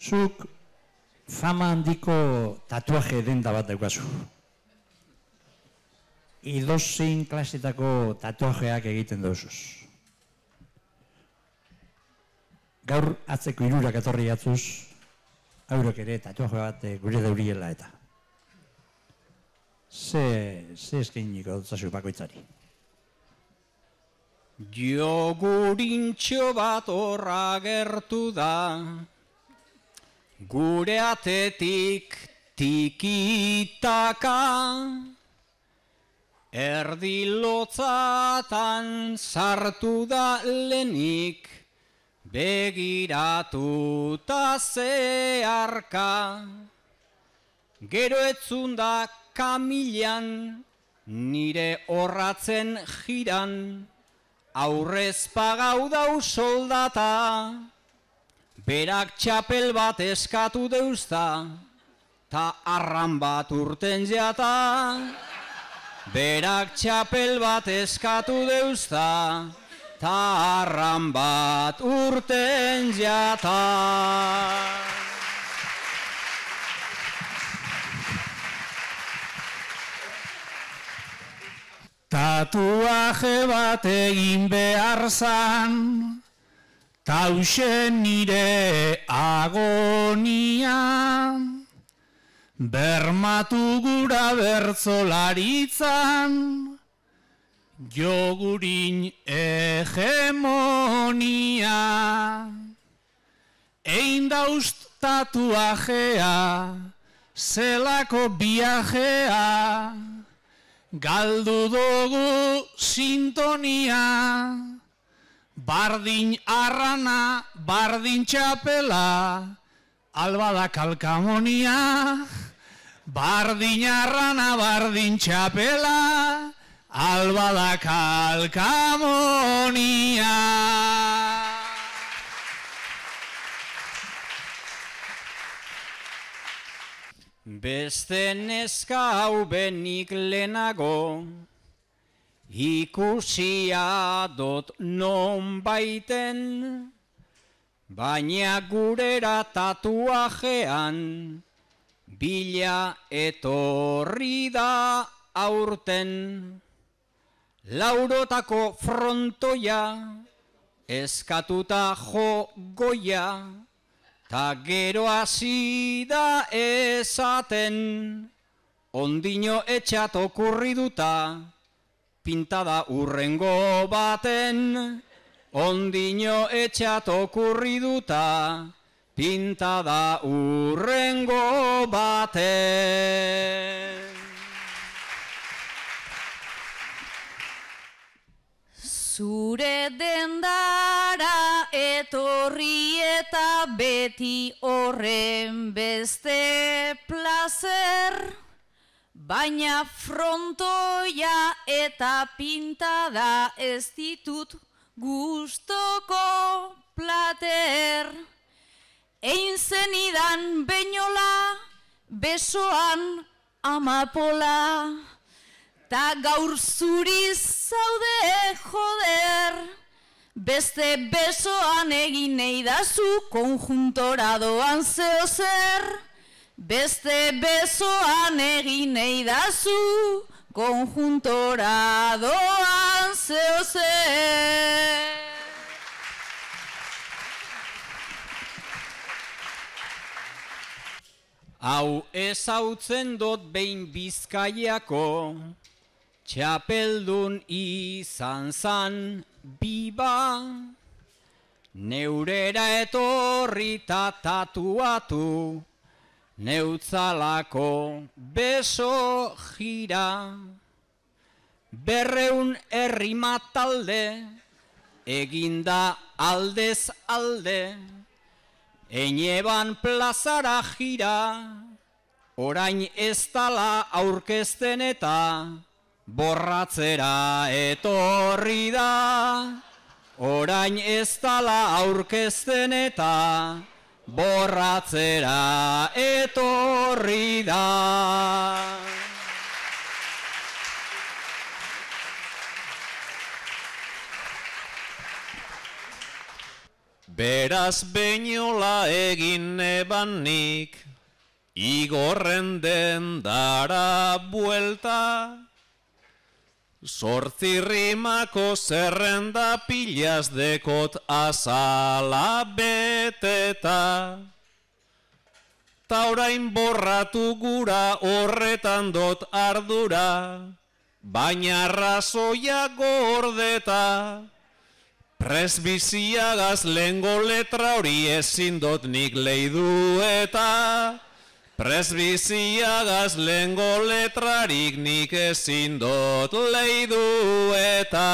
Zuk fama handiko tatuaje denda bat daukazu. Edozein klasetako tatuajeak egiten dauzuz. Gaur atzeko hirurak etorri jatzuz, haurok ere tatuaje bat gure dauriela eta. Ze eskainiko dutzazu bakoitzari? Jogurintxo bat horra gertu da, gure atetik tikitaka, erdi lotzatan sartu da lehenik, begiratuta zeharka. Gero etzunda kamilan, nire horratzen jiran, aurrez pagau dau soldata, berak txapel bat eskatu deuzta, ta arran bat urten jata. Berak txapel bat eskatu deuzta, ta arran bat urten jata. Tatuaje bat egin behar zan, tausen nire agonia, bermatu gura bertzolaritzan, jogurin hegemonia. Ein daust tatuajea, zelako viajea, galdu dugu sintonia, bardin arrana, bardin txapela, albada kalkamonia. Bardin arrana, bardin txapela, albada kalkamonia. Beste neska hau benik lehenago, ikusia dot non baiten, baina gurera tatuajean, bila etorri da aurten. Laurotako frontoia, eskatuta jo goia, ta gero hasi da esaten, ondino etxat okurri duta, pintada urrengo baten. Ondino etxat okurri duta, pintada urrengo baten. Zure dendara etorri eta beti horren beste plazer, baina frontoia eta pintada ez ditut gustoko plater. Ein zenidan beinola, besoan amapola, ta gaur zuriz zaude joder. Beste besoan egin nahi dazu, konjuntora doan zeo zer. Beste besoan egin nahi dazu, konjuntora doan zeo zer. Hau ezautzen dut behin Bizkaiako, txapeldun izan zan biba, neurera etorri ta tatuatu, neutzalako beso jira. 200 errima talde, eginda aldez alde, Eneban plazara jira, orain ez dala aurkezten eta borratzera etorri da. Orain ez dala aurkezten eta borratzera etorri da. Beraz beinola egin eban nik, igorren den dara buelta, Zortzi rimako zerrenda pilaz dekot azala beteta. Ta orain borratu gura horretan dot ardura, baina arrazoia gordeta. Presbiziagaz lehengo letra hori ezin dot nik leidu eta Presbiziagaz lehengo letrarik nik ezin dot leidu eta